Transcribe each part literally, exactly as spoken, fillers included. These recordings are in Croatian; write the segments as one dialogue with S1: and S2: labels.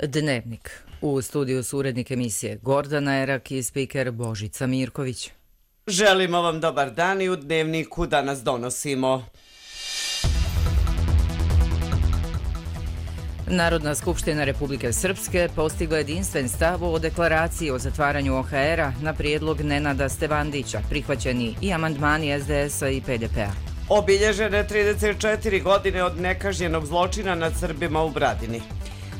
S1: Dnevnik. U studiju su urednik emisije Gordana Erak i spiker Božica Mirković.
S2: Želimo vam dobar dan i u Dnevniku danas donosimo.
S1: Narodna skupština Republike Srpske postigla jedinstven stav o deklaraciji o zatvaranju O H R-a na prijedlog Nenada Stevandića, prihvaćeni i amandmani S D S-a i P D P-a.
S2: Obilježene trideset četiri godine od nekažnjenog zločina nad Srbima u Bradini.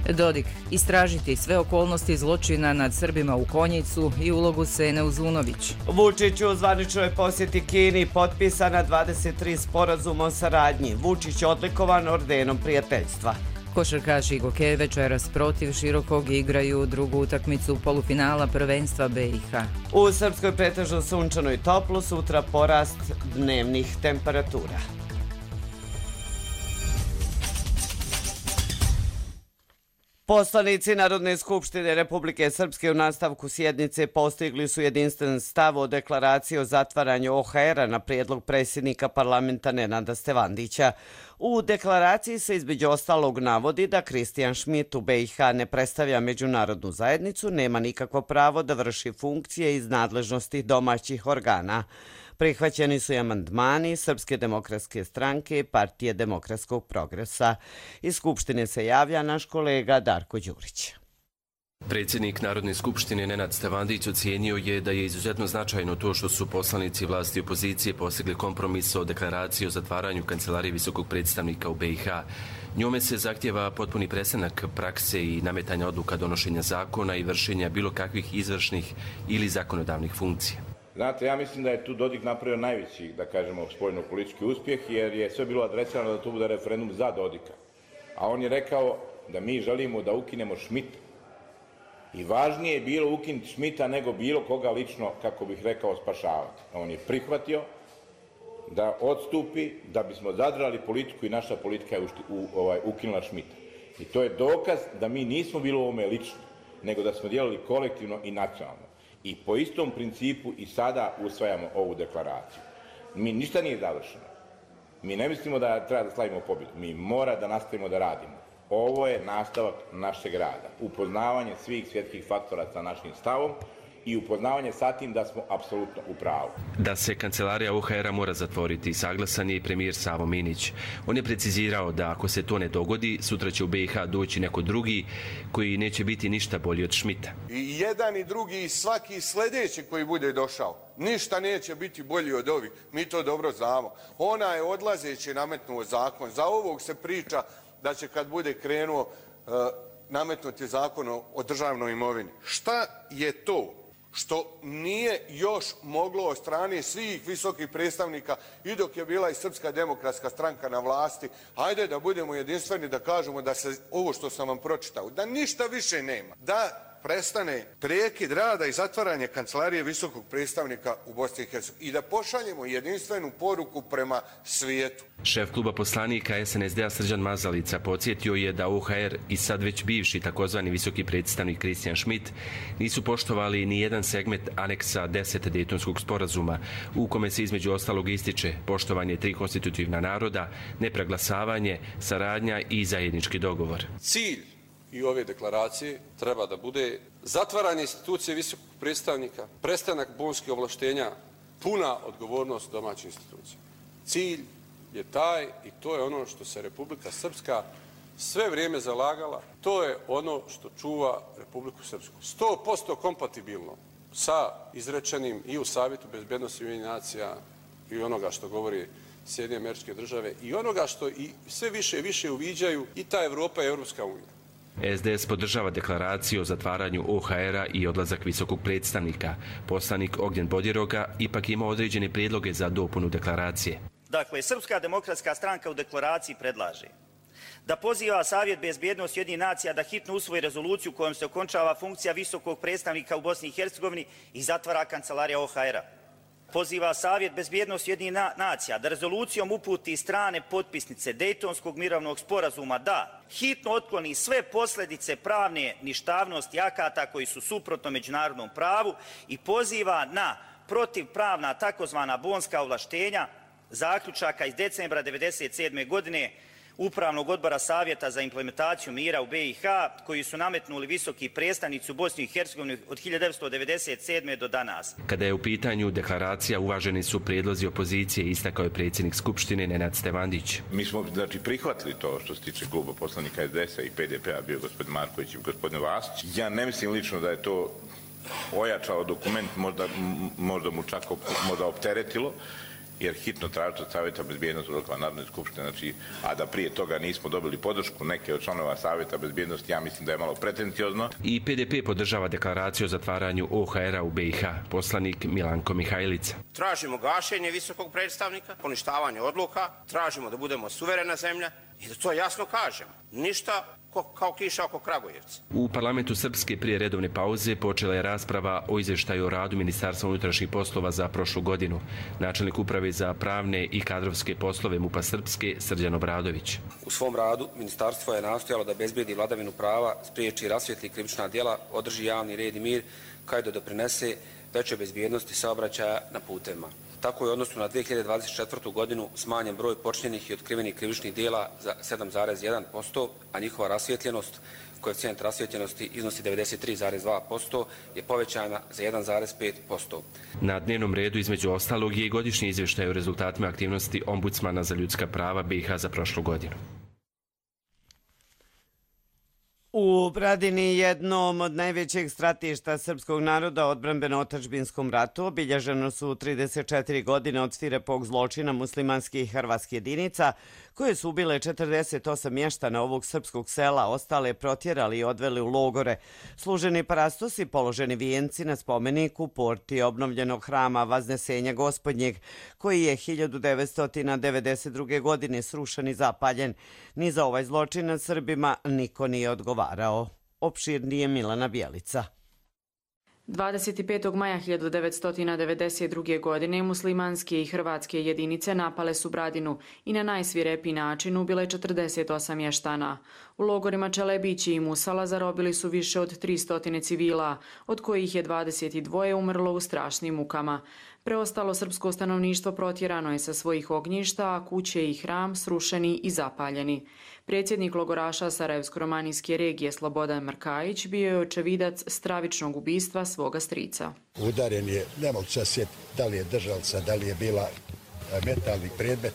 S1: Dodik, istražiti sve okolnosti zločina nad Srbima u Konjicu i ulogu Sene Uzunović.
S2: Vučić u zvaničnoj posjeti Kini potpisana dvadeset tri sporazuma o saradnji. Vučić odlikovan ordenom prijateljstva.
S1: Košarkaši Goke večeras protiv Širokog igraju drugu utakmicu polufinala prvenstva B i H.
S2: U Srpskoj pretežno sunčano i toplo, sutra porast dnevnih temperatura. Poslanici Narodne skupštine Republike Srpske u nastavku sjednice postigli su jedinstven stav o deklaraciji o zatvaranju O H R-a na prijedlog predsjednika parlamenta Nenada Stevandića. U deklaraciji se između ostalog navodi da Kristijan Šmit u B i H ne predstavlja međunarodnu zajednicu, nema nikakvo pravo da vrši funkcije iz nadležnosti domaćih organa. Prihvaćeni su i amandmani Srpske demokratske stranke i Partije demokratskog progresa. Iz Skupštine se javlja naš kolega Darko Đurić.
S3: Predsjednik Narodne skupštine Nenad Stevandić ocijenio je da je izuzetno značajno to što su poslanici vlasti i opozicije postigli kompromis o deklaraciji o zatvaranju Kancelarije visokog predstavnika u B i H. Njome se zahtjeva potpuni prestanak prakse i nametanja odluka donošenja zakona i vršenja bilo kakvih izvršnih ili zakonodavnih funkcija.
S4: Znate, ja mislim da je tu Dodik napravio najveći, da kažemo, spoljno-politički uspjeh, jer je sve bilo adresirano da to bude referendum za Dodika. A on je rekao da mi želimo da ukinemo Šmita. I važnije je bilo ukinuti Šmita nego bilo koga lično, kako bih rekao, spašavati. On je prihvatio da odstupi, da bismo zadržali politiku i naša politika je u, ovaj, ukinula Šmita. I to je dokaz da mi nismo bili u ovome lično, nego da smo djelali kolektivno i nacionalno. I po istom principu i sada usvajamo ovu deklaraciju. Mi ništa nije završeno. Mi ne mislimo da treba da slavimo pobjedu. Mi mora da nastavimo da radimo. Ovo je nastavak našeg rada. Upoznavanje svih svjetskih faktora sa našim stavom i upoznavanje sa tim da smo apsolutno u pravu.
S3: Da se kancelarija O H R-a mora zatvoriti, saglasan je i premijer Savo Minić. On je precizirao da ako se to ne dogodi, sutra će u B i H doći neko drugi koji neće biti ništa bolji od Šmita.
S5: I jedan i drugi i svaki sljedeći koji bude došao, ništa neće biti bolji od ovih. Mi to dobro znamo. Ona je odlazeći nametnuo zakon. Za ovog se priča da će kad bude krenuo uh, nametnuti zakon o državnoj imovini. Šta je to što nije još moglo od strane svih visokih predstavnika i dok je bila i Srpska demokratska stranka na vlasti, hajde da budemo jedinstveni, da kažemo da se ovo što sam vam pročitao, da ništa više nema, da prestane prekid rada i zatvaranje Kancelarije visokog predstavnika u Bosni i Hercegovini i da pošaljemo jedinstvenu poruku prema svijetu.
S3: Šef kluba poslanika S N S D-a Srđan Mazalica podsjetio je da O H R i sad već bivši takozvani visoki predstavnik Kristijan Šmit nisu poštovali ni jedan segment aneksa deset Dejtonskog sporazuma u kome se između ostalog ističe poštovanje tri konstitutivna naroda, nepreglasavanje, saradnja i zajednički dogovor.
S6: Cilj i ove deklaracije treba da bude zatvaranje institucije visokog predstavnika, prestanak bonskih ovlaštenja, puna odgovornost domaćih institucija. Cilj je taj i to je ono što se Republika Srpska sve vrijeme zalagala. To je ono što čuva Republiku Srpsku. sto posto kompatibilno sa izrečenim i u Savjetu bezbednosti Ujedinjenih nacija i onoga što govori Sjedinjene Američke Države i onoga što i sve više i više uviđaju i ta Evropa i Europska unija.
S3: S D S podržava deklaraciju o zatvaranju O H R-a i odlazak visokog predstavnika. Poslanik Ognjen Bodjeroga ipak ima određene prijedloge za dopunu deklaracije.
S7: Dakle, Srpska demokratska stranka u deklaraciji predlaže da poziva Savjet bezbjednosti Ujedinjenih nacija da hitno usvoji rezoluciju kojom se okončava funkcija visokog predstavnika u Bosni i Hercegovini i zatvara Kancelarija O H R-a. Poziva Savjet bezbjednosti Ujedinjenih nacija da rezolucijom uputi strane potpisnice Dejtonskog mirovnog sporazuma da hitno otkloni sve posljedice pravne ništavnosti akata koji su suprotno međunarodnom pravu i poziva na protivpravna takozvana bonska ovlaštenja zaključaka iz decembra devedeset sedme godine Upravnog odbora Savjeta za implementaciju mira u B i H, koji su nametnuli visoki predstavnici u Bosni i Hercegovini od hiljadu devetsto devedeset sedme do danas.
S3: Kada je u pitanju deklaracija, uvaženi su prijedlozi opozicije, istakao je predsjednik Skupštine Nenad Stevandić.
S4: Mi smo znači prihvatili to što se tiče kluba poslanika S D S-a i P D P-a, bio gospodin Marković i gospodin Vasić. Ja ne mislim lično da je to ojačao dokument, možda, možda mu čak op, možda opteretilo, jer hitno tražiti od Savjeta bezbjednosti odluka Narodne skupštine, znači, a da prije toga nismo dobili podršku neke od članova Savjeta bezbjednosti, ja mislim da je malo pretenciozno.
S3: I P D P podržava deklaraciju o zatvaranju O H R-a u B i H, poslanik Milanko Mihajlica.
S8: Tražimo gašenje visokog predstavnika, poništavanje odluka, tražimo da budemo suverena zemlja i da to jasno kažemo. Ništa kao kiša oko Kragujevca.
S3: U parlamentu Srpske prije redovne pauze počela je rasprava o izvještaju o radu Ministarstva unutrašnjih poslova za prošlu godinu. Načelnik uprave za pravne i kadrovske poslove MUP-a Srpske, Srđan Obradović.
S9: U svom radu ministarstvo je nastojalo da bezbedi vladavinu prava, spriječi rasvijetli krivična djela, održi javni red i mir, kao i da doprinese većoj bezbjednosti saobraćaja na putevima. Tako je u odnosu na dvije hiljade dvadeset četvrtu. godinu smanjen broj počinjenih i otkrivenih krivičnih djela za sedam zarez jedan posto, a njihova rasvijetljenost, koeficijent rasvijetljenosti iznosi devedeset tri zarez dva posto, je povećana za jedan zarez pet posto.
S3: Na dnevnom redu između ostalog je i godišnji izvještaj o rezultatima aktivnosti Ombudsmana za ljudska prava B i H za prošlu godinu.
S2: U Bradini, jednom od najvećeg stratišta srpskog naroda u odbrambeno-otadžbinskom ratu, obilježeno su trideset četiri godine od svirepog zločina muslimanskih i hrvatskih jedinica, koje su ubile četrdeset osam mještana ovog srpskog sela, ostale protjerali i odveli u logore. Služeni parastosi, položeni vijenci na spomeniku porti obnovljenog hrama Vaznesenja Gospodnjeg, koji je hiljadu devetsto devedeset druge. godine srušen i zapaljen. Ni za ovaj zločin nad Srbima niko nije odgovarao. Opširnije Milana Bjelica.
S10: dvadeset petog maja hiljadu devetsto devedeset druge. godine muslimanske i hrvatske jedinice napale su Bradinu i na najsvirepiji način ubile četrdeset osam mještana. U logorima Čelebići i Musala zarobili su više od tristo civila, od kojih je dvadeset dva umrlo u strašnim mukama. Preostalo srpsko stanovništvo protjerano je sa svojih ognjišta, a kuće i hram srušeni i zapaljeni. Predsjednik logoraša Sarajevsko-romanijske regije Slobodan Mrkajić bio je očevidac stravičnog ubistva svoga strica.
S11: Udaren je, ne mogu se sjetiti da li je držalca, da li je bila metalni predmet,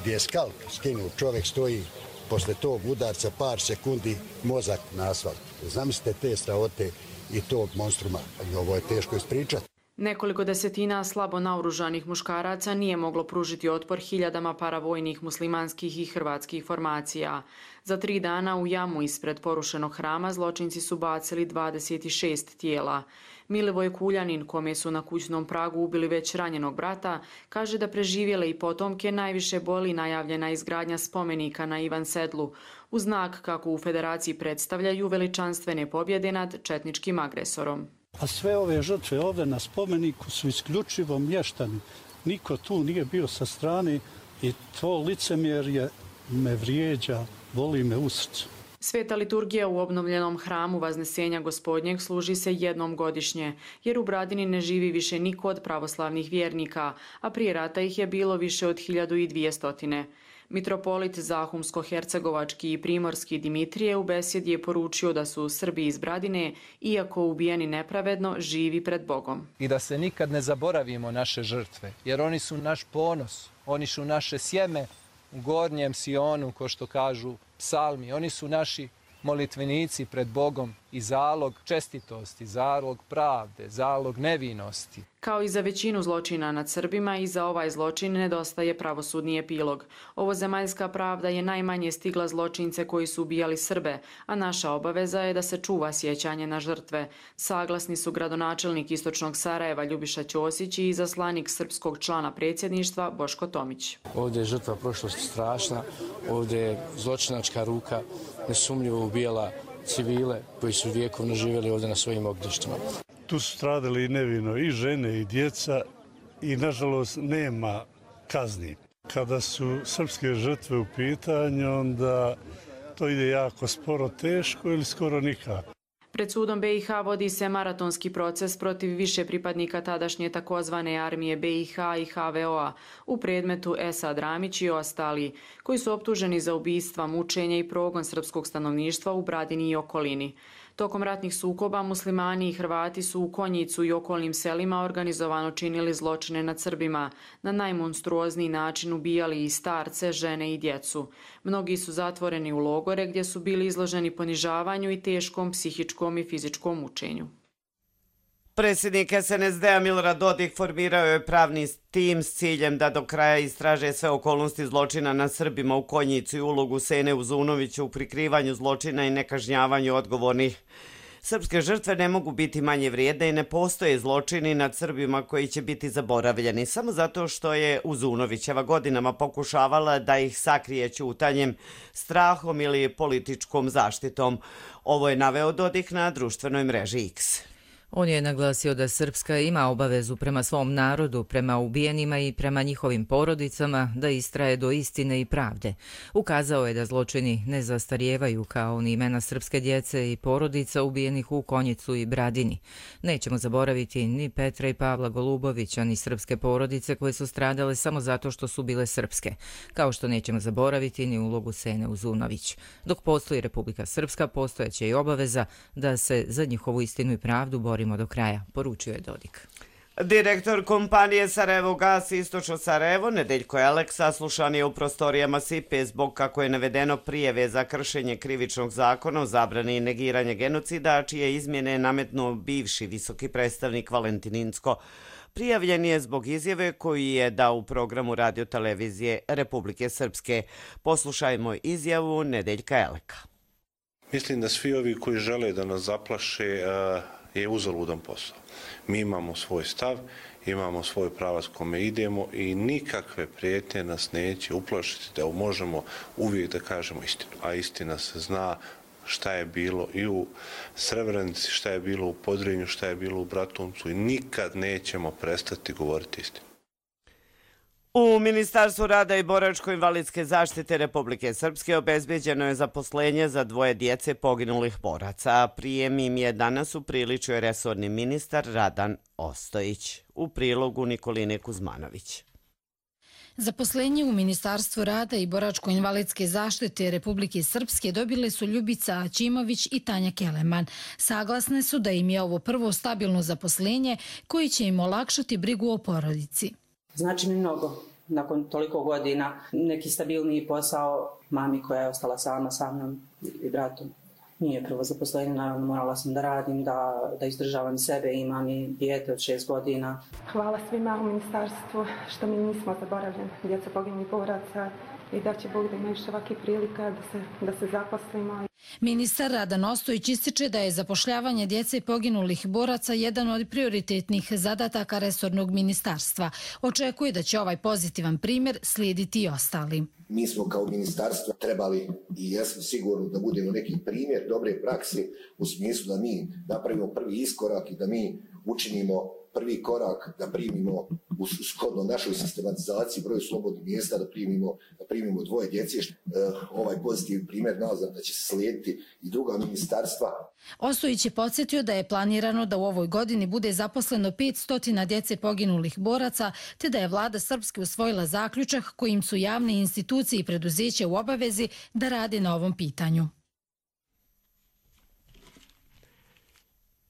S11: gdje je skalp skinuo, čovjek stoji, posle tog udarca par sekundi mozak na asfalt. Zamislite te strahote i tog monstruma, ovo je teško ispričati.
S10: Nekoliko desetina slabo naoružanih muškaraca nije moglo pružiti otpor hiljadama paravojnih muslimanskih i hrvatskih formacija. Za tri dana u jamu ispred porušenog hrama zločinci su bacili dvadeset šest tijela. Milivoj Kuljanin, kome su na kućnom pragu ubili već ranjenog brata, kaže da preživjele i potomke najviše boli najavljena izgradnja spomenika na Ivan Sedlu, u znak kako u federaciji predstavljaju veličanstvene pobjede nad četničkim agresorom.
S12: A sve ove žrtve ovdje na spomeniku su isključivo mještani. Niko tu nije bio sa strane i to licemjerje me vrijeđa, boli me u srcu.
S10: Sveta liturgija u obnovljenom hramu Vaznesenja Gospodnjeg služi se jednom godišnje, jer u Bradini ne živi više niko od pravoslavnih vjernika, a prije rata ih je bilo više od hiljadu dvjesto. Mitropolit Zahumsko-hercegovački i primorski Dimitrije u besjedi je poručio da su Srbi iz Bradine, iako ubijeni nepravedno, živi pred Bogom.
S13: I da se nikad ne zaboravimo naše žrtve, jer oni su naš ponos, oni su naše sjeme u gornjem Sionu, ko što kažu psalmi, oni su naši molitvenici pred Bogom i zalog čestitosti, zalog pravde, zalog nevinosti.
S10: Kao i za većinu zločina nad Srbima, i za ovaj zločin nedostaje pravosudni epilog. Ovozemaljska pravda je najmanje stigla zločince koji su ubijali Srbe, a naša obaveza je da se čuva sjećanje na žrtve. Saglasni su gradonačelnik Istočnog Sarajeva Ljubiša Ćosić i izaslanik srpskog člana predsjedništva Boško Tomić.
S14: Ovdje je žrtva prošlosti strašna, ovdje je zločinačka ruka nesumnjivo ubijala civile koji su vjekovno živjeli ovdje na svojim ognjištima.
S12: Tu su stradali i nevino i žene i djeca i nažalost nema kazni. Kada su srpske žrtve u pitanju, onda to ide jako sporo, teško ili skoro nikako.
S10: Pred sudom B i H vodi se maratonski proces protiv više pripadnika tadašnje takozvane armije B i H i H V O-a u predmetu Esad Ramić i ostali, koji su optuženi za ubistva, mučenje i progon srpskog stanovništva u Bradini i okolini. Tokom ratnih sukoba muslimani i Hrvati su u Konjicu i okolnim selima organizovano činili zločine nad Srbima, na najmonstruozniji način ubijali i starce, žene i djecu. Mnogi su zatvoreni u logore gdje su bili izloženi ponižavanju i teškom psihičkom i fizičkom mučenju.
S2: Predsjednik S N S D-a Milorad Dodik formirao je pravni tim s ciljem da do kraja istraže sve okolnosti zločina nad Srbima u Konjicu i ulogu Sene Uzunovića u prikrivanju zločina i nekažnjavanju odgovornih. Srpske žrtve ne mogu biti manje vrijedne i ne postoje zločini nad Srbima koji će biti zaboravljeni samo zato što je Uzunovićeva godinama pokušavala da ih sakrije ćutanjem, strahom ili političkom zaštitom. Ovo je naveo Dodik na društvenoj mreži X.
S1: On je naglasio da Srpska ima obavezu prema svom narodu, prema ubijenima i prema njihovim porodicama da istraje do istine i pravde. Ukazao je da zločini ne zastarijevaju kao ni imena srpske djece i porodica ubijenih u Konjicu i Bradini. Nećemo zaboraviti ni Petra i Pavla Golubovića, ni srpske porodice koje su stradale samo zato što su bile srpske, kao što nećemo zaboraviti ni ulogu Sene Uzunović. Dok postoji Republika Srpska, postojeće i obaveza da se za njihovu istinu i pravdu bori do kraja, poručio je Dodik.
S2: Direktor kompanije Sarajevo Gas Istočno Sarajevo, Nedeljko Elek, saslušan je u prostorijama S I P E zbog, kako je navedeno, prijeve za kršenje krivičnog zakona o zabrani i negiranje genocida, čije izmjene je nametnuo bivši visoki predstavnik Valentin Incko. Prijavljen je zbog izjave koju je dao u programu radiotelevizije Republike Srpske. Poslušajmo izjavu Nedeljka Eleka.
S15: Mislim da svi ovi koji žele da nas zaplaše je uzaludan posao. Mi imamo svoj stav, imamo svoj pravac kome idemo i nikakve prijetnje nas neće uplašiti da možemo uvijek da kažemo istinu. A istina se zna šta je bilo i u Srebrenici, šta je bilo u Podrinju, šta je bilo u Bratuncu i nikad nećemo prestati govoriti istinu.
S2: U Ministarstvu rada i boračko-invalidske zaštite Republike Srpske obezbeđeno je zaposlenje za dvoje djece poginulih boraca. Prijem im je danas upriličio resorni ministar Radan Ostojić. U prilogu Nikoline Kuzmanović.
S16: Zaposlenje u Ministarstvu rada i boračko-invalidske zaštite Republike Srpske dobile su Ljubica Aćimović i Tanja Keleman. Saglasne su da im je ovo prvo stabilno zaposlenje koji će im olakšati brigu o porodici.
S17: Znači mi mnogo. Nakon toliko godina neki stabilniji posao mami koja je ostala sama sa mnom i bratom. Nije prvo zaposlenje, naravno morala sam da radim, da, da izdržavam sebe, imam i dijete od šest godina.
S18: Hvala svima u ministarstvu što mi nismo zaboravljeni, djeca poginulih boraca, i da će Bog da ima još ovakvih prilika da se, da se zaposlimo.
S16: Ministar Radan Ostojić ističe da je zapošljavanje djece poginulih boraca jedan od prioritetnih zadataka resornog ministarstva. Očekuje da će ovaj pozitivan primjer slijediti i ostali.
S19: Mi smo kao ministarstvo trebali i jesmo sigurno da budemo neki primjer dobre prakse u smislu da mi napravimo prvi iskorak i da mi učinimo prvi korak da primimo u shodno našoj sistematizaciji broju slobodnih mjesta, da primimo, da primimo dvoje djece. Ovaj pozitivni primjer nazad da će se slijediti i druga ministarstva.
S16: Ostojić je podsjetio da je planirano da u ovoj godini bude zaposleno petsto djece poginulih boraca, te da je vlada Srpske usvojila zaključak kojim su javne institucije i preduzeće u obavezi da rade na ovom pitanju.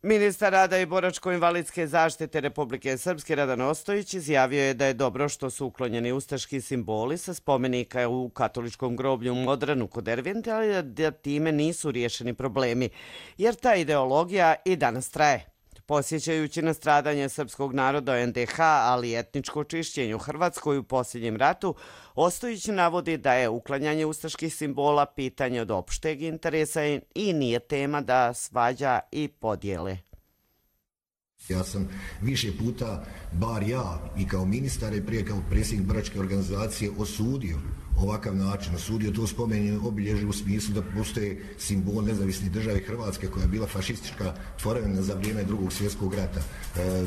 S2: Ministar rada i boračko-invalidske zaštite Republike Srpske Radan Ostojić izjavio je da je dobro što su uklonjeni ustaški simboli sa spomenika u katoličkom groblju u Modranu kod Dervente, ali da time nisu riješeni problemi, jer ta ideologija i danas traje. Posjećajući na stradanje srpskog naroda u N D H, ali i etničko čišćenje u Hrvatskoj u posljednjem ratu, Ostojić navodi da je uklanjanje ustaških simbola pitanje od opšteg interesa i nije tema da svađa i podijele.
S20: Ja sam više puta, bar ja i kao ministar i prije kao predsjednik boračke organizacije, osudio ovakav način, osudio to spomenje obilježje u smislu da postoje simbol nezavisne države Hrvatske koja je bila fašistička tvorevina za vrijeme drugog svjetskog rata. E,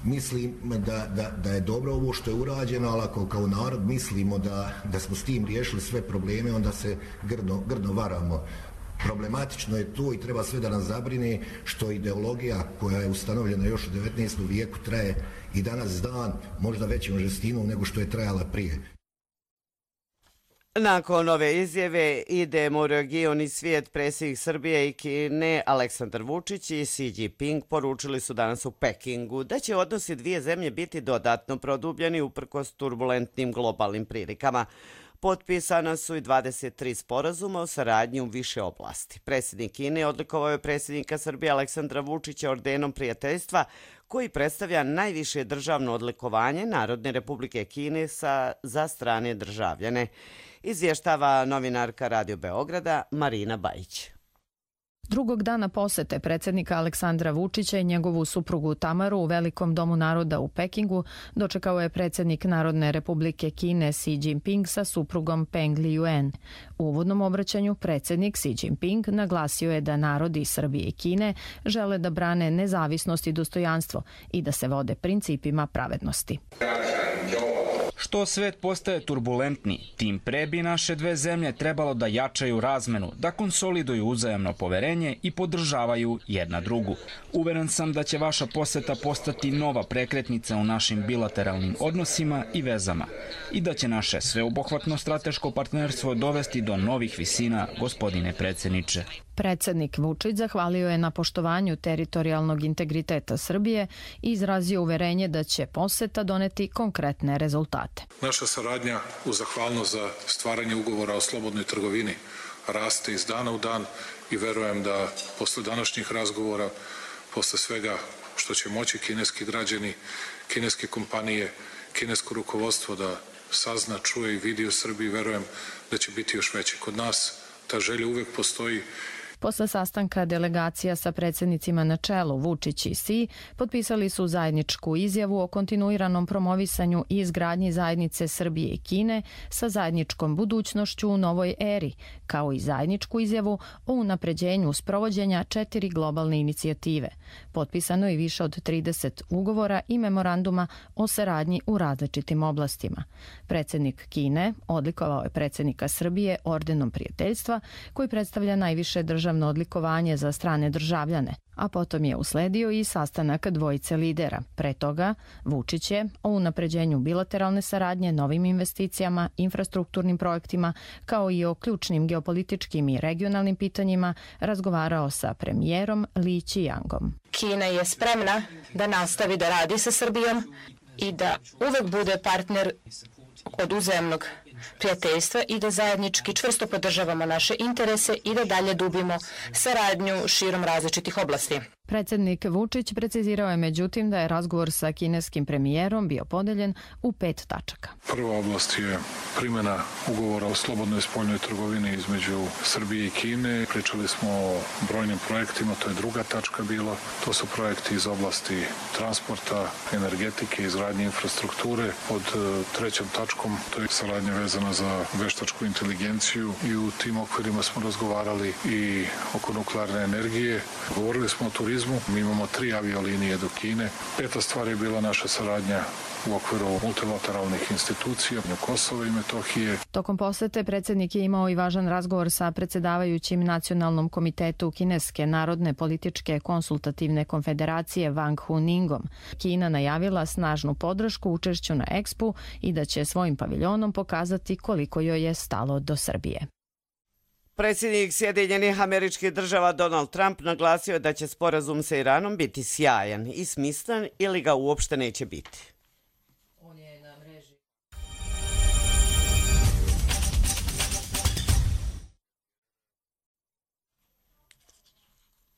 S20: mislim da, da, da je dobro ovo što je urađeno, ali ako kao narod mislimo da, da smo s tim riješili sve probleme, onda se grdno, grdno varamo. Problematično je to i treba sve da nas zabrine što ideologija koja je ustanovljena još u devetnaestom vijeku traje i danas dan možda većom žestinom nego što je trajala prije.
S2: Nakon ove izjave idemo u region i svijet. Predsjednik Srbije i Kine Aleksandar Vučić i Xi Jinping poručili su danas u Pekingu da će odnosi dvije zemlje biti dodatno produbljeni uprkos turbulentnim globalnim prilikama. Potpisana su i dvadeset tri sporazuma o saradnji u više oblasti. Predsjednik Kine odlikovao je predsjednika Srbije Aleksandra Vučića ordenom prijateljstva koji predstavlja najviše državno odlikovanje Narodne Republike Kine sa, za strane državljane. Izvještava novinarka Radio Beograda Marina Bajić.
S21: Drugog dana posete predsjednika Aleksandra Vučića i njegovu suprugu Tamaru u Velikom domu naroda u Pekingu dočekao je predsjednik Narodne Republike Kine Xi Jinping sa suprugom Peng Liyuan. U uvodnom obraćanju predsjednik Xi Jinping naglasio je da narodi Srbije i Kine žele da brane nezavisnost i dostojanstvo i da se vode principima pravednosti.
S22: Što svet postaje turbulentni, tim pre bi naše dve zemlje trebalo da jačaju razmenu, da konsoliduju uzajamno poverenje i podržavaju jedna drugu. Uveren sam da će vaša poseta postati nova prekretnica u našim bilateralnim odnosima i vezama i da će naše sveobuhvatno strateško partnerstvo dovesti do novih visina, gospodine predsjedniče.
S21: Predsjednik Vučić zahvalio je na poštovanju teritorijalnog integriteta Srbije i izrazio uverenje da će poseta doneti konkretne rezultate.
S23: Naša saradnja u zahvalnost za stvaranje ugovora o slobodnoj trgovini raste iz dana u dan i verujem da posle današnjih razgovora, posle svega što će moći kineski građani, kineske kompanije, kinesko rukovodstvo da sazna, čuje i vidi u Srbiji, verujem da će biti još veće. Kod nas ta želja uvek postoji.
S21: Posle sastanka delegacija sa predsjednicima na čelu Vučić i Xi potpisali su zajedničku izjavu o kontinuiranom promovisanju i izgradnji zajednice Srbije i Kine sa zajedničkom budućnošću u novoj eri, kao i zajedničku izjavu o unapređenju sprovođenja četiri globalne inicijative. Potpisano je više od trideset ugovora i memoranduma o saradnji u različitim oblastima. Predsjednik Kine odlikovao je predsjednika Srbije ordenom prijateljstva koji predstavlja najviše državno odlikovanje za strane državljane, a potom je usledio i sastanak dvojice lidera. Pre toga, Vučić je o unapređenju bilateralne saradnje, novim investicijama, infrastrukturnim projektima, kao i o ključnim geopolitičkim i regionalnim pitanjima razgovarao sa premijerom Li Qiangom.
S24: Kina je spremna da nastavi da radi sa Srbijom i da uvek bude partner od uzajamnog prijateljstva i da zajednički čvrsto podržavamo naše interese i da dalje dubimo saradnju širom različitih oblasti.
S21: Predsjednik Vučić precizirao je međutim da je razgovor sa kineskim premijerom bio podeljen u pet tačaka.
S23: Prva oblast je primjena ugovora o slobodnoj spoljnoj trgovini između Srbije i Kine. Pričali smo o brojnim projektima, to je druga tačka bila. To su projekti iz oblasti transporta, energetike, izgradnje infrastrukture. Pod trećom tačkom to je saradnja vezana za veštačku inteligenciju i u tim okvirima smo razgovarali i oko nuklearne energije. Govorili smo o turizmu. Mi imamo tri aviolinije do Kine. Peta stvar je bila naša saradnja u okviru multilateralnih institucija u Kosovo i Metohije.
S21: Tokom posete predsjednik je imao i važan razgovor sa predsjedavajućim Nacionalnom komitetu Kineske narodne političke konsultativne konfederacije Wang Huningom. Kina najavila snažnu podršku učešću na Expu i da će svojim paviljonom pokazati koliko joj je stalo do Srbije.
S2: Predsjednik Sjedinjenih Američkih Država Donald Trump naglasio je da će sporazum sa Iranom biti sjajan i smislen ili ga uopšte neće biti.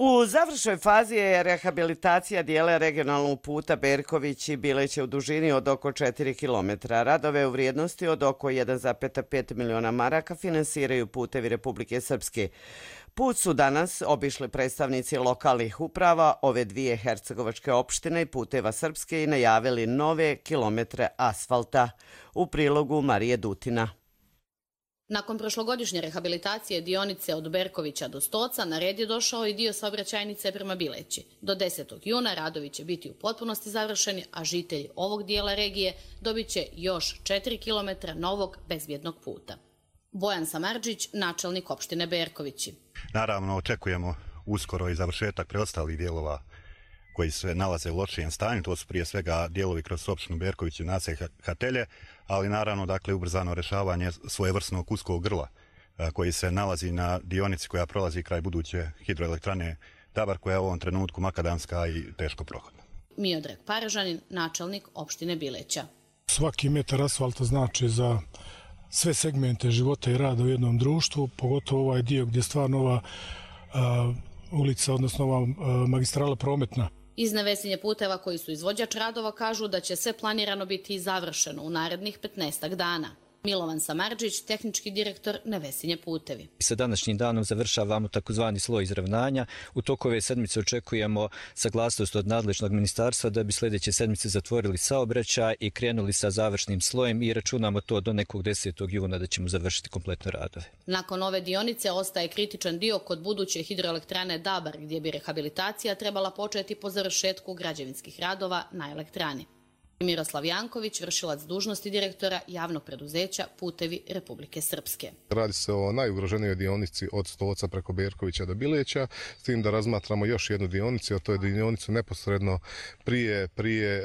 S2: U završnoj fazi je rehabilitacija dijela regionalnog puta Berković i Bileće u dužini od oko četiri kilometra. Radove u vrijednosti od oko jedan zarez pet miliona maraka finansiraju Putevi Republike Srpske. Put su danas obišli predstavnici lokalnih uprava ove dvije hercegovačke opštine i Puteva Srpske i najavili nove kilometre asfalta. U prilogu Marije Dutina.
S25: Nakon prošlogodišnje rehabilitacije dionice od Berkovića do Stoca, na red je došao i dio saobraćajnice prema Bileći. Do desetog juna radovi će biti u potpunosti završeni, a žitelji ovog dijela regije dobit će još četiri kilometra novog bezbjednog puta. Bojan Samardžić, načelnik opštine Berkovići.
S4: Naravno, očekujemo uskoro i završetak preostalih dijelova koji se nalaze u lošijem stanju. To su prije svega dijelovi kroz opštinu Berković i naselje Hatelje, ali naravno dakle ubrzano rješavanje svojevrsnog uskog grla koji se nalazi na dionici koja prolazi kraj buduće hidroelektrane Dabar, koja je u ovom trenutku makadamska i teško prohodna.
S25: Miodrag Paražanin, načelnik opštine Bileća.
S5: Svaki metar asfalta znači za sve segmente života i rada u jednom društvu, pogotovo ovaj dio gdje je stvarno ova a, ulica, odnosno ova a, magistrala prometna.
S25: Iz Nevesinje puteva koji su izvođač radova kažu da će sve planirano biti završeno u narednih petnaestak dana. Milovan Samardžić, tehnički direktor Nevesinje putevi.
S6: Sa današnjim danom završavamo takozvani sloj izravnanja. U toku ove sedmice očekujemo saglasnost od nadležnog ministarstva da bi sljedeće sedmice zatvorili saobraćaj i krenuli sa završnim slojem i računamo to do nekog desetog juna da ćemo završiti kompletno radove.
S25: Nakon ove dionice ostaje kritičan dio kod buduće hidroelektrane Dabar, gdje bi rehabilitacija trebala početi po završetku građevinskih radova na elektrani. Miroslav Janković, vršilac dužnosti direktora javnog preduzeća Putevi Republike Srpske.
S7: Radi se o najugroženijoj dionici od Stoca preko Berkovića do Bileća, s tim da razmatramo još jednu dionicu, a to je dionicu neposredno prije, prije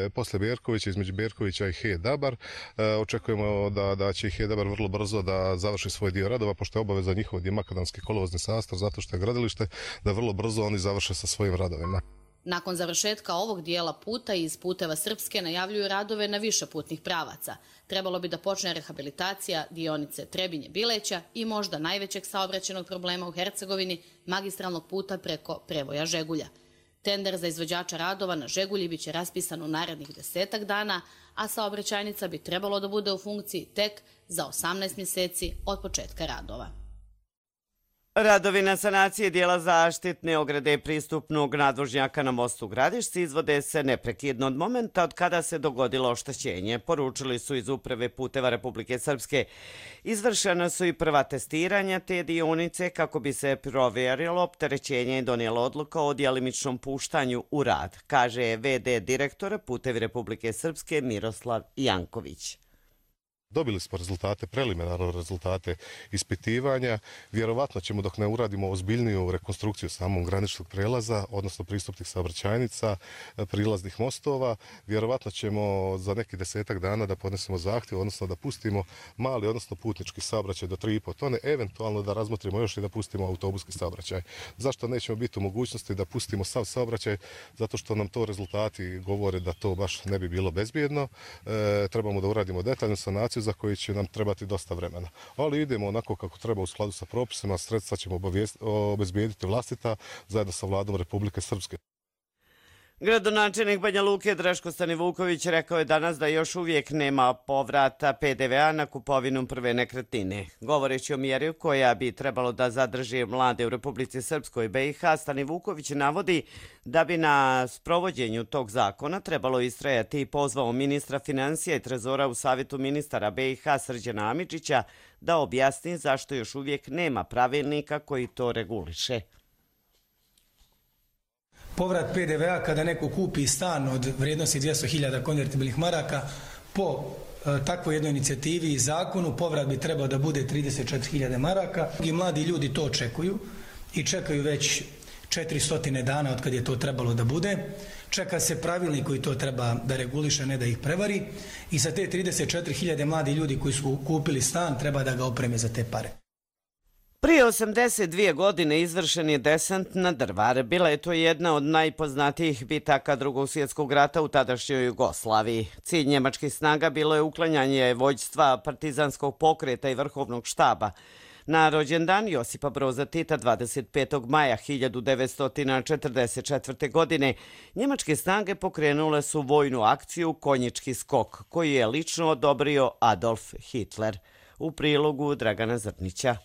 S7: e, posle Berkovića, između Berkovića i He Dabar. E, očekujemo da, da će He Dabar vrlo brzo da završi svoj dio radova, pošto je obaveza njihov je makadamski kolovozni sastav, zato što je gradilište, da vrlo brzo oni završe sa svojim radovima.
S25: Nakon završetka ovog dijela puta iz Puteva Srpske najavljuju radove na više putnih pravaca. Trebalo bi da počne rehabilitacija dionice Trebinje-Bileća i možda najvećeg saobraćajnog problema u Hercegovini, magistralnog puta preko Prevoja Žegulja. Tender za izvođača radova na Žegulji biće raspisan u narednih desetak dana, a saobraćajnica bi trebalo da bude u funkciji tek za osamnaest mjeseci od početka radova.
S2: Radovi na sanacije dijela zaštitne ograde pristupnog nadvožnjaka na mostu Gradišci izvode se neprekidno od momenta od kada se dogodilo oštećenje. Poručili su iz Uprave puteva Republike Srpske. Izvršena su i prva testiranja te dionice kako bi se provjerilo opterećenje i donijela odluka o djelimičnom puštanju u rad, kaže ve de direktora Putevi Republike Srpske Miroslav Janković.
S7: Dobili smo rezultate, preliminarno rezultate ispitivanja. Vjerovatno ćemo, dok ne uradimo ozbiljniju rekonstrukciju samog graničnog prelaza, odnosno pristupnih saobraćajnica, prilaznih mostova, vjerovatno ćemo za neki desetak dana da podnesemo zahtjev, odnosno da pustimo mali, odnosno putnički saobraćaj do tri i pol tone, eventualno da razmotrimo još i da pustimo autobuski saobraćaj. Zašto nećemo biti u mogućnosti da pustimo sav saobraćaj? Zato što nam to rezultati govore da to baš ne bi bilo bezbjedno. E, trebamo da uradimo detaljnu sanaciju za koji će nam trebati dosta vremena. Ali idemo onako kako treba u skladu sa propisima, sredstva ćemo obezbijediti vlastita zajedno sa vladom Republike Srpske.
S2: Gradonačelnik Banja Luke Draško Stanivuković rekao je danas da još uvijek nema povrata pe de ve a na kupovinu prve nekretnine. Govoreći o mjeri koja bi trebalo da zadrži mlade u Republici Srpskoj i be i ha, Stanivuković navodi da bi na sprovođenju tog zakona trebalo istrajati i pozvao ministra financija i trezora u savjetu ministara be i ha Srđana Amidžića da objasni zašto još uvijek nema pravilnika koji to reguliše.
S8: Povrat pe de ve a kada neko kupi stan od vrijednosti dvjesto hiljada konvertibilnih maraka po e, takvoj jednoj inicijativi i zakonu povrat bi trebao da bude trideset četiri hiljade maraka. I mladi ljudi to očekuju i čekaju već četiristo dana od kad je to trebalo da bude. Čeka se pravilnik koji to treba da reguliše, ne da ih prevari. I sa te trideset četiri hiljade mladi ljudi koji su kupili stan treba da ga opreme za te pare.
S2: Prije osamdeset dvije godine izvršen je desant na Drvar. Bila je to jedna od najpoznatijih bitaka Drugog svjetskog rata u tadašnjoj Jugoslaviji. Cilj njemačkih snaga bilo je uklanjanje vođstva partizanskog pokreta i vrhovnog štaba. Na rođendan Josipa Broza Tita dvadeset petog maja hiljadu devetsto četrdeset četvrte. godine njemačke snage pokrenule su vojnu akciju Konjički skok, koji je lično odobrio Adolf Hitler. U prilogu Dragana Zrnića.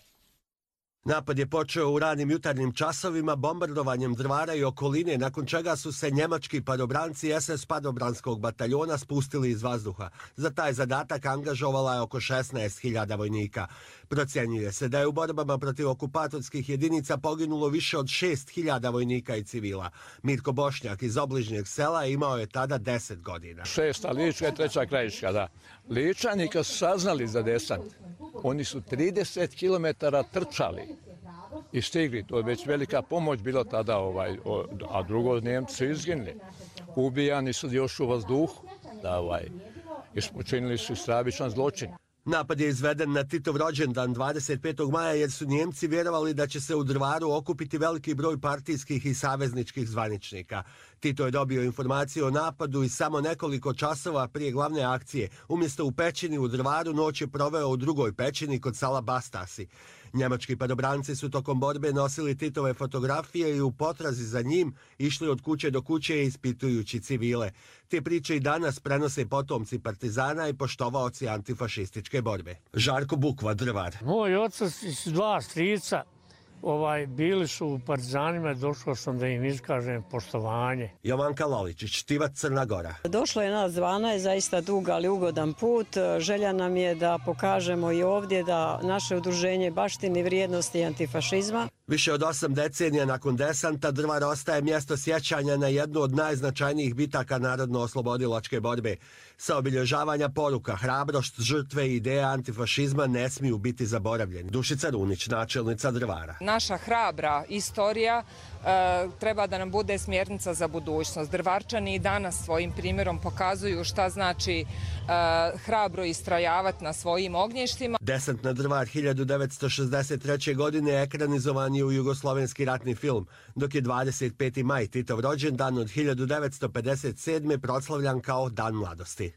S26: Napad je počeo u ranim jutarnjim časovima bombardovanjem Drvara i okoline, nakon čega su se njemački padobranci es es padobranskog bataljona spustili iz vazduha. Za taj zadatak angažovala je oko šesnaest hiljada vojnika. Procjenjuje se da je u borbama protiv okupatorskih jedinica poginulo više od šest hiljada vojnika i civila. Mirko Bošnjak iz obližnjeg sela imao je tada deset godina.
S27: Šesta Lička i treća Krajiška, da. Ličani kad su saznali za desant,
S3: Oni su trideset kilometara trčali i stigli. To je već velika pomoć bilo tada, ovaj, a drugo Njemci su izginuli. Ubijani su još u vazduhu, da, ovaj, počinili su stravičan zločin.
S26: Napad je izveden na Titov rođendan dvadeset petog maja jer su Njemci vjerovali da će se u Drvaru okupiti veliki broj partijskih i savezničkih zvaničnika. Tito je dobio informaciju o napadu i samo nekoliko časova prije glavne akcije. Umjesto u pećini u Drvaru, noć je proveo u drugoj pećini kod sela Bastasi. Njemački padobranci su tokom borbe nosili Titove fotografije i u potrazi za njim išli od kuće do kuće ispitujući civile. Te priče i danas prenose potomci partizana i poštovaoci antifašističke borbe. Žarko Bukva, Drvar.
S9: Moj otac i dva strica ovaj, bili su u partizanima i došao sam da im iskažem poštovanje.
S26: Jovanka Loličić, Tivac, Crna Gora.
S11: Došlo je nas dvanaest, zaista dug ali ugodan put. Želja nam je da pokažemo i ovdje da naše udruženje baštini vrijednosti antifašizma.
S26: Više od osam decenija nakon desanta Drvar ostaje mjesto sjećanja na jednu od najznačajnijih bitaka narodno-oslobodilačke borbe. Sa obilježavanja poruka, hrabrost, žrtve i ideja antifašizma ne smiju biti zaboravljeni. Dušica Runić, načelnica Drvara.
S12: Naša hrabra istorija e, treba da nam bude smjernica za budućnost. Drvarčani i danas svojim primjerom pokazuju šta znači e, hrabro istrajavati na svojim ognjištima.
S26: Desant na Drvar hiljadu devetsto šezdeset treće. godine ekranizovan je u jugoslovenski ratni film, dok je dvadeset peti maj, Titov rođendan od hiljadu devetsto pedeset sedme. proslavljan kao Dan mladosti.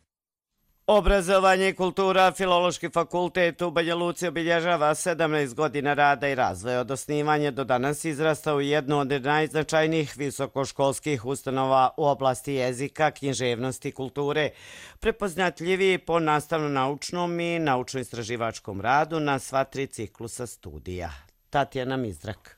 S2: Obrazovanje i kultura, Filološki fakultet u Banja Luci obilježava sedamnaest godina rada i razvoja. Od osnivanja do danas izrastao u jednu od najznačajnijih visokoškolskih ustanova u oblasti jezika, književnosti i kulture, prepoznatljiviji po nastavno-naučnom i naučno-istraživačkom radu na sva tri ciklusa studija. Tatjana Mizrak.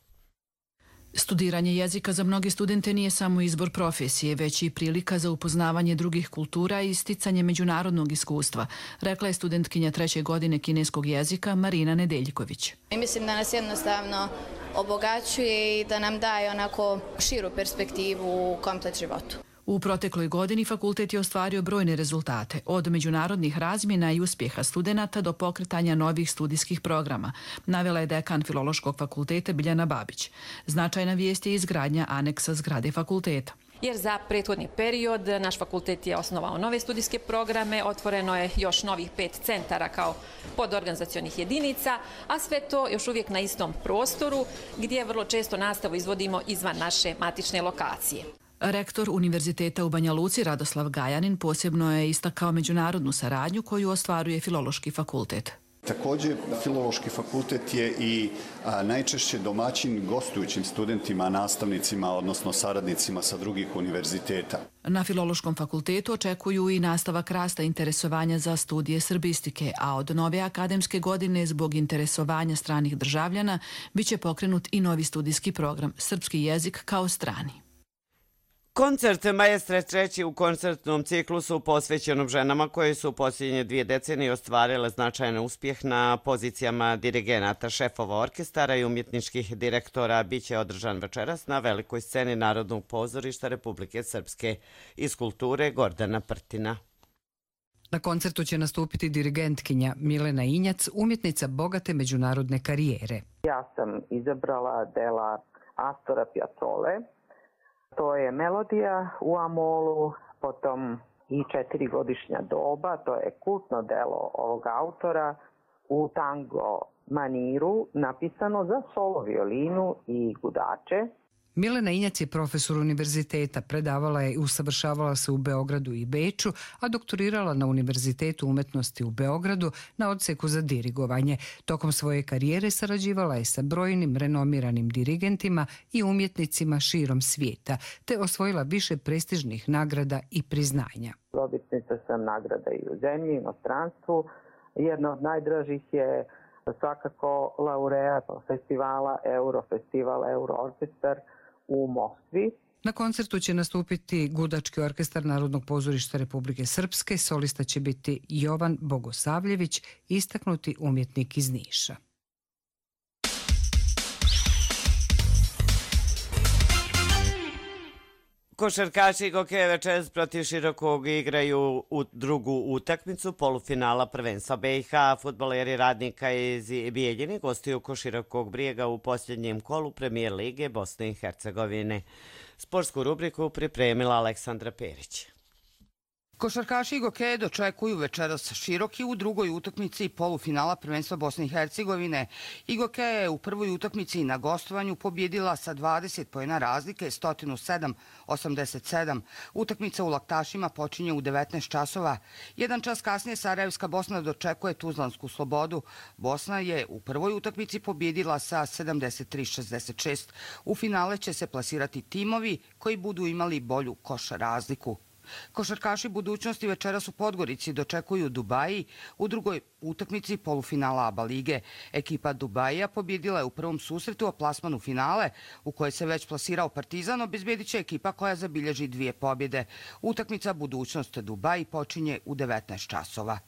S13: Studiranje jezika za mnoge studente nije samo izbor profesije, već i prilika za upoznavanje drugih kultura i isticanje međunarodnog iskustva, rekla je studentkinja treće godine kineskog jezika Marina Nedeljković.
S14: Mislim da nas jednostavno obogaćuje i da nam daje onako širu perspektivu u komplet životu.
S13: U protekloj godini fakultet je ostvario brojne rezultate, od međunarodnih razmjena i uspjeha studenata do pokretanja novih studijskih programa, navela je dekan Filološkog fakulteta Biljana Babić. Značajna vijest je izgradnja aneksa zgrade fakulteta.
S27: Jer za prethodni period naš fakultet je osnovao nove studijske programe, otvoreno je još novih pet centara kao podorganizacionih jedinica, a sve to još uvijek na istom prostoru gdje vrlo često nastavu izvodimo izvan naše matične lokacije.
S13: Rektor Univerziteta u Banja Luci Radoslav Gajanin posebno je istakao međunarodnu saradnju koju ostvaruje Filološki fakultet.
S28: Također, Filološki fakultet je i a, najčešće domaćin gostujućim studentima, nastavnicima, odnosno saradnicima sa drugih univerziteta.
S13: Na Filološkom fakultetu očekuju i nastavak rasta interesovanja za studije srbistike, a od nove akademske godine zbog interesovanja stranih državljana biće pokrenut i novi studijski program Srpski jezik kao strani.
S2: Koncert Maestre treći u koncertnom ciklusu posvećenom ženama koje su u posljednje dvije decenije ostvarile značajan uspjeh na pozicijama dirigenata, šefova orkestara i umjetničkih direktora biće održan večeras na velikoj sceni Narodnog pozorišta Republike Srpske. Iz kulture Gordana Prtina.
S29: Na koncertu će nastupiti dirigentkinja Milena Injac, umjetnica bogate međunarodne karijere.
S30: Ja sam izabrala dela Astora Piazzole. To je Melodija u Amolu, potom i četirigodišnja doba, to je kultno delo ovog autora u tango maniru, napisano za solo violinu i gudače.
S29: Milena Injac je profesor univerziteta, predavala je i usavršavala se u Beogradu i Beču, a doktorirala na Univerzitetu umetnosti u Beogradu na odseku za dirigovanje. Tokom svoje karijere sarađivala je sa brojnim renomiranim dirigentima i umjetnicima širom svijeta, te osvojila više prestižnih nagrada i priznanja.
S30: Dobitnica sam nagrada i u zemlji, i u inostranstvu. Jedna od najdražih je svakako laureat festivala Eurofestival, Euroorkestar u Moskvi.
S29: Na koncertu će nastupiti Gudački orkestar Narodnog pozorišta Republike Srpske, solista će biti Jovan Bogosavljević, istaknuti umjetnik iz Niša.
S2: Košarkaši Igoke večeras protiv Širokog igraju u drugu utakmicu polufinala prvenstva B i H. Fudbaleri Radnika iz Bijeljine gostuju kod Širokog Brijega u posljednjem kolu Premijer lige Bosne i Hercegovine. Sportsku rubriku pripremila Aleksandra Perić.
S1: Košarkaši Igoke dočekuju večeras Široki u drugoj utakmici polufinala prvenstva Bosne i Hercegovine. Igoke je u prvoj utakmici na gostovanju pobjedila sa dvadeset poena razlike, sto sedam osamdeset sedam. Utakmica u Laktašima počinje u devetnaest časova. Jedan čas kasnije Sarajevska Bosna dočekuje Tuzlansku Slobodu. Bosna je u prvoj utakmici pobjedila sa sedamdeset tri šezdeset šest. U finale će se plasirati timovi koji budu imali bolju koš razliku. Košarkaši budućnosti večeras u Podgorici dočekuju Dubaji u drugoj utakmici polufinala A B A lige. Ekipa Dubajija pobjedila je u prvom susretu o plasmanu finale u kojoj se već plasirao Partizan, obezbedit će ekipa koja zabilježi dvije pobjede. Utakmica budućnost Dubaji počinje u devetnaest časova.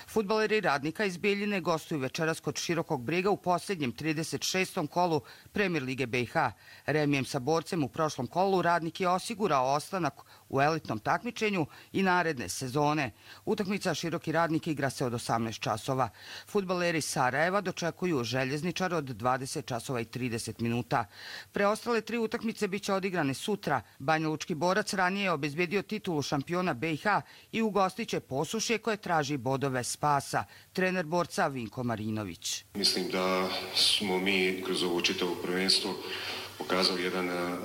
S1: Fudbaleri Radnika iz Bijeljine gostuju večeras kod Širokog Brijega u posljednjem trideset šestom kolu Premijer lige B i H. Remijem sa Borcem u prošlom kolu Radnik je osigurao ostanak u elitnom takmičenju i naredne sezone. Utakmica Široki Radnik igra se od osamnaest časova. Fudbaleri Sarajeva dočekuju Željezničar od dvadeset časova i trideset minuta. Preostale tri utakmice biće odigrane sutra. Banja Lučki Borac ranije je obezbedio titulu šampiona B i H i ugostit će Posušje koje traži bodove spasa. Trener Borca Vinko Marinović.
S10: Mislim da smo mi kroz ovo čitavo prvenstvo pokazali jedan a,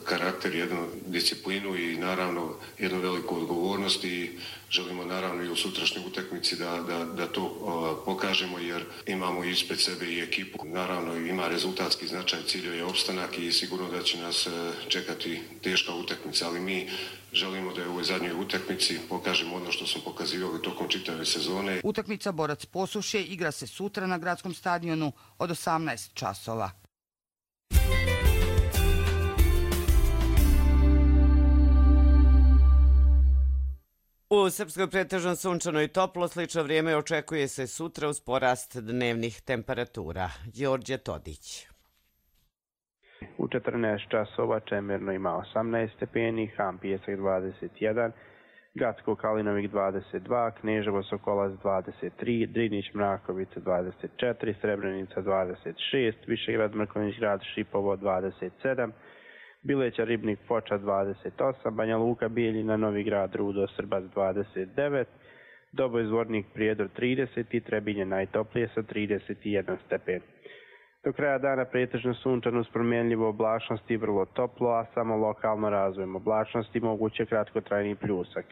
S10: karakter, jednu disciplinu i naravno jednu veliku odgovornost i želimo naravno i u sutrašnjoj utakmici da, da, da to a, pokažemo jer imamo ispred sebe i ekipu. Naravno ima rezultatski značaj, cilj je opstanak i sigurno da će nas a, čekati teška utakmica, ali mi želimo da je u ovoj zadnjoj utakmici pokažemo ono što smo pokazivali tokom čitave sezone.
S1: Utakmica Borac Posušje igra se sutra na gradskom stadionu od osamnaest časova.
S2: U Srpskoj pretežno sunčano i toplo, slično vrijeme očekuje se sutra uz porast dnevnih temperatura. Đorđe Todić.
S15: U četrnaest časova Čemerno ima osamnaest stepeni, Ham Pijesak dvadeset jedan, Gacko Kalinovik dvadeset dva, Kneževo Sokolac dvadeset tri, Drinić Mrakovica dvadeset četiri, Srebrenica dvadeset šest, Višegrad Mrkonjić Grad Šipovo dvadeset sedam, Bileća Ribnik Foča dvadeset osam, Banja Luka Bijeljina Novi Grad Rudo Srbac dvadeset devet, Doboj Zvornik Prijedor trideset i Trebinje najtoplije sa trideset jedan stepen. Do kraja dana pretežno sunčano uz promjenljivu oblačnost i vrlo toplo, a samo lokalno razvojem oblačnosti moguće kratkotrajni pljusak.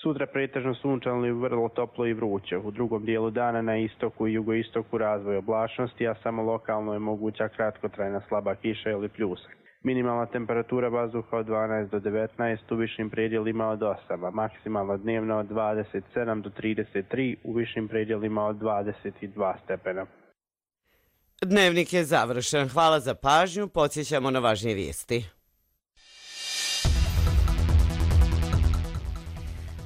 S15: Sutra pretežno sunčano i vrlo toplo i vruće. U drugom dijelu dana na istoku i jugoistoku razvoj oblačnosti, a samo lokalno je moguća kratkotrajna slaba kiša ili pljusak. Minimalna temperatura vazduha od dvanaest do devetnaest, u višim predjelima od osam, a maksimalna dnevna od dvadeset sedam do trideset tri, u višim predjelima od dvadeset dva stepena.
S2: Dnevnik je završen. Hvala za pažnju. Podsjećamo na važnije vijesti.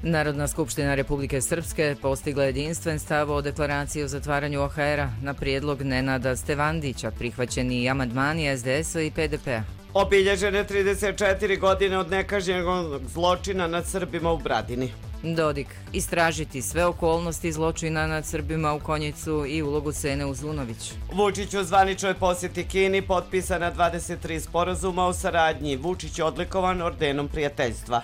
S16: Narodna skupština Republike Srpske postigla jedinstven stav o deklaraciji o zatvaranju O H R-a na prijedlog Nenada Stevandića, prihvaćeni i amandmani S D S-a i P D P-a.
S2: Obilježene trideset četiri godine od nekažnjenog zločina nad Srbima u Bradini.
S16: Dodik, istražiti sve okolnosti zločina nad Srbima u Konjicu i ulogu Sene Uzunović.
S2: Vučić u zvaničnoj posjeti Kini potpisana dvadeset tri sporazuma o saradnji. Vučić odlikovan ordenom prijateljstva.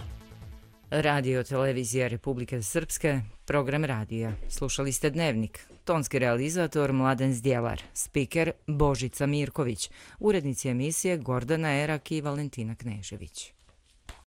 S16: Radio Televizija Republike Srpske, program radija. Slušali ste Dnevnik. Tonski realizator Mladen Zdjelar, spiker Božica Mirković, urednici emisije Gordana Erak i Valentina Knežević.